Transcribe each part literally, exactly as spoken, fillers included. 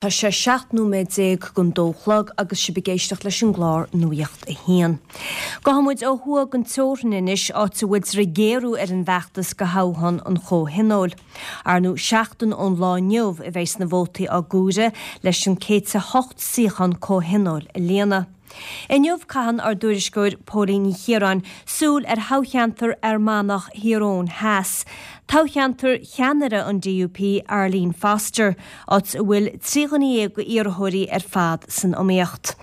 Tá sé seacht nóiméad déag don dó chlog agus sibh ag éisteacht leis an gclár Nuacht a hAon. Gabhfaidh muid ó thuaidh den teorainn anois áit a bhfuiltear ag géarú ar an bhfeachtas do thoghchán an Chomhthionóil. Ar ndóigh seachtain ón lá inniu a bheidh na vótaí á gcomhaireamh leis an céad a hocht suíochán Comhthionóil a líonadh. Inniu caitheann ár dtuairisceoir Póilín Ní Chiaráin súil ar thoghcheantar Fhear Manach Thír Eoghain Theas. Toghcheantar cheannaire an DUP Arlene Foster, áit a bhfuil trí dhuine déag d'iarrthóirí ar fad san iomaíocht.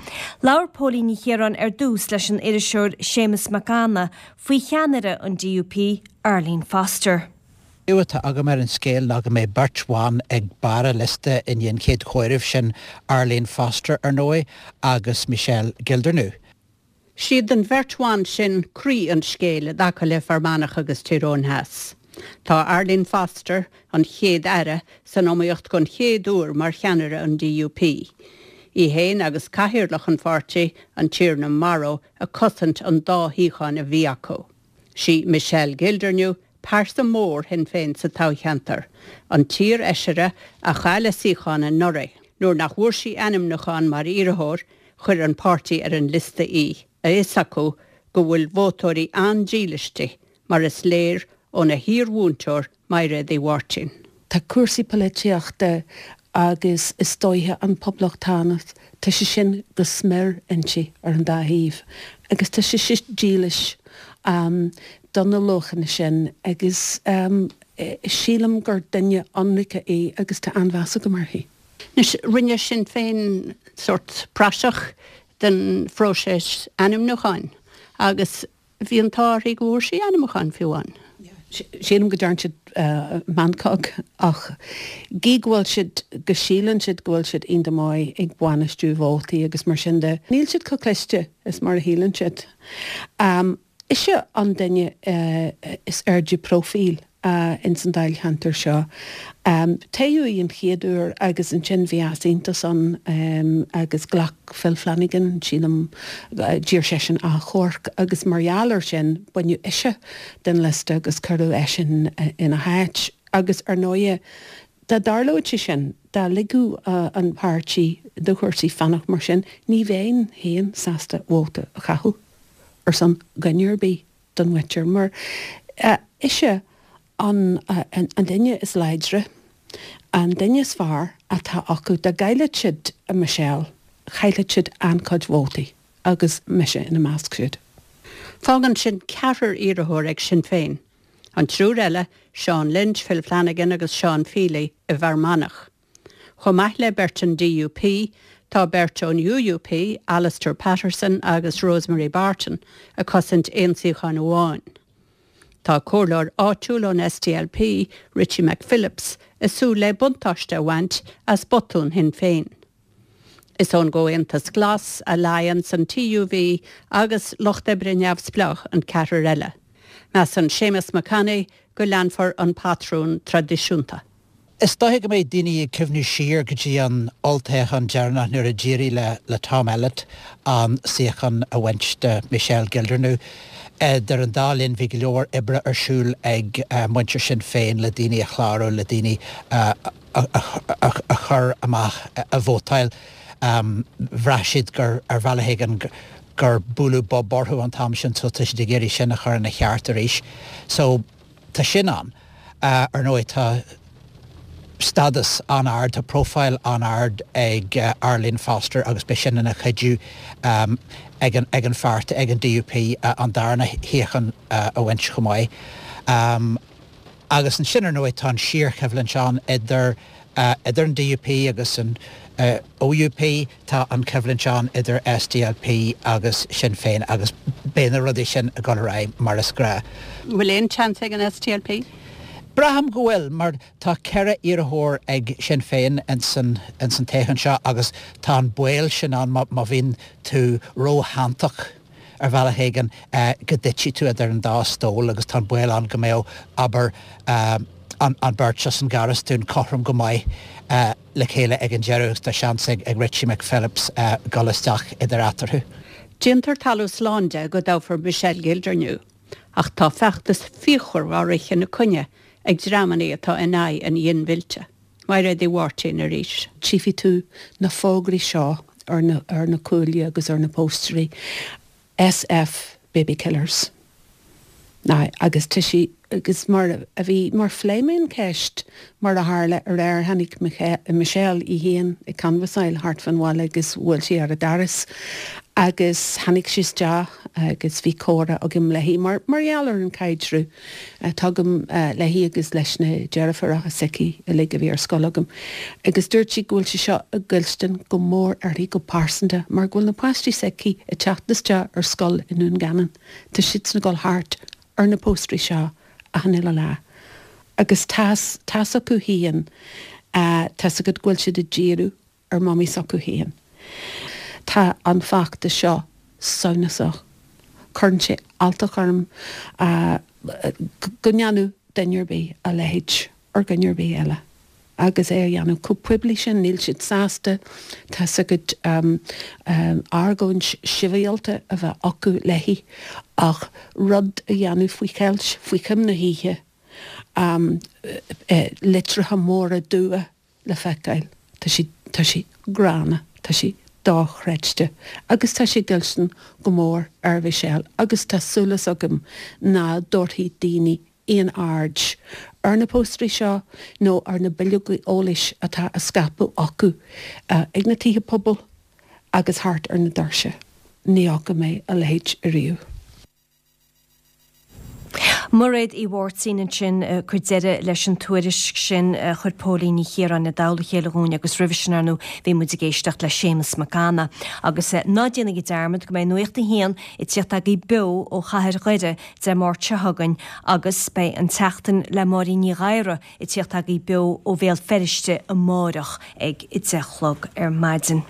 Labhair Póilín Ní Chiaráin ar dtús leis an iriseoir Séamus Mac Anna faoi cheannaire an DUP Arlene Foster. atá agam ar an scéal ná go mbeidh beirt bhan ag barr an liosta i ndiaidh an chéad chomhaireamh sin Arlene Foster ar ndóigh agus Michelle Gildernew. Siad an bheirt bhan sin croí an scéil i dtaca le Fear Manach agus Tír Eoghain Theas. Tá Arlene Foster an chéad aire san iomaíocht don chéad uair mar cheannaire an DUP. Í féin agus cathaoirleach an pháirtí an Tiarna Morrow ag cosaint an dá shuíochán a bhí acu. Sí Michelle Gildernew pearsa mór Shinn Féin sa toghcheantar, an t-iarfheisire a chaill a suíochán anuraidh. Nuair nach bhfuair sí ainmniúchán mar iarrthóir chuir an páirtí ar an liosta í, a fhios acu go bhfuil vótóirí an-dílis di, mar is léir óna hiarmhúinteoir Mairéad Uí Mháirtín. Tá cúrsaí polaitíochta agus is dóiche an poblachtánach tá sé sin go smior inti ar an dá thaobh agus tá sé sin dílis um, do na luachanna sin agus um, sílim gur duine ionraic í agus tá an-mheas agam uirthi. Anois rinne Sinn Féin sórt praiseach den phróiseas ainmniúcháin agus bhí an t-ádh go bhfuair sí ainmniúchán fiú amháin. Sílim go dtearn siad uh, meancóg ach gí go bhfuil siad go síleann siad go bhfuil siad iontach maith ag bainistiú vótaí agus mar sin de. Níl siad chomh cliste is mar a shíleann siad. Um, Ise an duine uh, is airde profíl uh, in san dáilcheantar seo. Um, Toghadh í an chéad uair agus ansin bhí easaontas ann um, agus ghlac Phil Flanagan sílim uh, d'iarr seisean achomharc agus mar gheall air sin baineadh ise den liosta agus cuireadh eisean uh, ina háit agus ar ndóigh dá dtarlódh sé sin dá ligeadh uh, an páirtí do chúrsaí fanacht mar sin ní bheinn féin sásta vóta a chaitheamh ar son duine ar bith don mhuintir mar uh, ise an, uh, an, an duine is láidre an duine is fearr atá acu dá gcaillfeadh siad a Michelle chaillfeadh siad an-chuid vótaí agus mise ina measc siúd. Fágann sin ceathrar iarrthóir ag Sinn Féin. An triúr eile, Sean Lynch, Phil Flanagan agus Sean Feely i bhFear Manach. Chomh maith le beirt an DUP, tá beirt ón UUP, Alistair Patterson agus Rosemary Barton, ag cosaint aon suíochán amháin. Tá comhairleoir áitiúil ón SDLP, Richie McPhillips, ag súil le buntáiste a bhaint as botún Shinn Féin. Is ón gComhaontas Glas, Alliance an TUV agus Lucht Oibre Neamhspleách an ceathrar eile. Measann Séamus Mac Annaidh go leanfar an patrún traidisiúnta. Is dóiche go mbeidh daoine ag cuimhniú siar go dtí an olltoghchán deireanach nuair a d'éirigh le le Tom Elliott an suíochán a bhaint de Michelle Gildernew. Idir an dá linn bhí go leor oibre ar siúl ag muintir Sinn Féin le daoine a chlárú le daoine a chur amach a vótáil. Bhraith siad gur ar bhealach éigin gur bualadh bob orthu an t-am sin so tá siad ag iarraidh sin a chur ina cheart arís. So tá sin ann. Ar ndóigh tá stádas an-ard tá profile an-ard ag uh, Arlene Foster agus beidh sin ina chuidiú um, ag an, ag an pháirtí ag an DUP uh, an darna shuíochán uh, a bhaint chomh maith. Um, agus ansin ar ndóigh tá an síorchoimhlint ann idir uh, idir an DUP agus an uh, OUP tá an choimhlint ann idir SDLP agus Sinn Féin agus beidh na rudaí sin ag dul ar aghaidh mar is gnách. Bhfuil aon chance ag an SDLP? Braithim go bhfuil mar tá ceithre iarrthóir ag Sinn Féin in san in san toghchán seo agus tá an baol sin ann má bhíonn tú róshantach ar bhealach éigin uh, go dtitfidh tú idir an dá stól agus tá an baol ann go mbeadh abair uh, an, an beirt as an nGarastún cothrom go maith uh, le chéile ag an deireadh tá seans ag, ag Richie McPhillips uh, dul isteach idir eatarthu. Déantar talamh slán de go dtoghfar Michelle Gildernew, ach tá feachtas fíochmhar á rith ina coinne ag dreamanna atá in aghaidh an ghinmhillte. Mairéad Uí Mháirtín arís. Tchífidh tú na fógraí seo ar na, ar na cuaillí agus ar na póstairí SF Baby Killers. Ná, agus tá sí agus mar a bhí mar phléigh mé an ceist mar a tharla aréir tháinig Michelle í féin ag canbhasáil thart fan bhaile agus bhuail sí ar an doras agus tháinig sí isteach agus bhí comhrá agam léi mar mar gheall ar an caidreamh atá agam léi agus leis na deirfiúracha s'aici uilig a bhí ar scoil agam agus dúirt sí go bhfuil sé seo ag goilstin go mór uirthi go pearsanta mar go bhfuil na páistí s'aici ag teacht isteach ar scoil i nDún Geanainn. Tá siadsan ag dul thart ar na póstairí seo achan uile lá. Agus tá's tá's acu féin, tá's agat go bhfuil siad ag díriú ar mamaí s'acu féin. Tá an feachtas seo samhnasach. Cuireann sé alltacht orm go ndéanfadh duine ar bith a leithéid ar dhuine ar bith eile. Agus é a dhéanamh chomh poiblí sin, níl siad sásta, tá's agat, argóint sibhialta a bheith acu léi ach rud a dhéanamh faoi cheilt, faoi choim na hoíche, litreacha móra dubha le feiceáil, tá sé, tá sé gránna, tá sé dochreidte agus tá sé ag goilstin go mór ar Mhichelle agus tá súil agam ná dtabharfaidh daoine aon aird ar na póstairí seo nó ar na bileogaí eolais atá á scaipeadh acu ag na tithe pobail agus thart ar na doirse. Ní fhaca mé a leithéid ariamh. Mairéad Uí Mháirtín ansin ag cur deireadh leis an tuairisc sin a chuir Póilín Ní Chiaráin i dtoll a chéile dhúinn agus roimhe sin ar ndóigh bhí muid ag éisteacht le Séamus Mac Anna. Agus ná déanaigí dearmad go mbeidh Nuacht a hAon ag tíocht agaibh beo ó chathair Dhoire Dé Máirt seo chugainn agus beidh an tSeachtain le Máirín Ní Ghadhra ag tíocht agaibh beo ó Bhéal Feirste amáireach ag a deich a chlog ar maidin.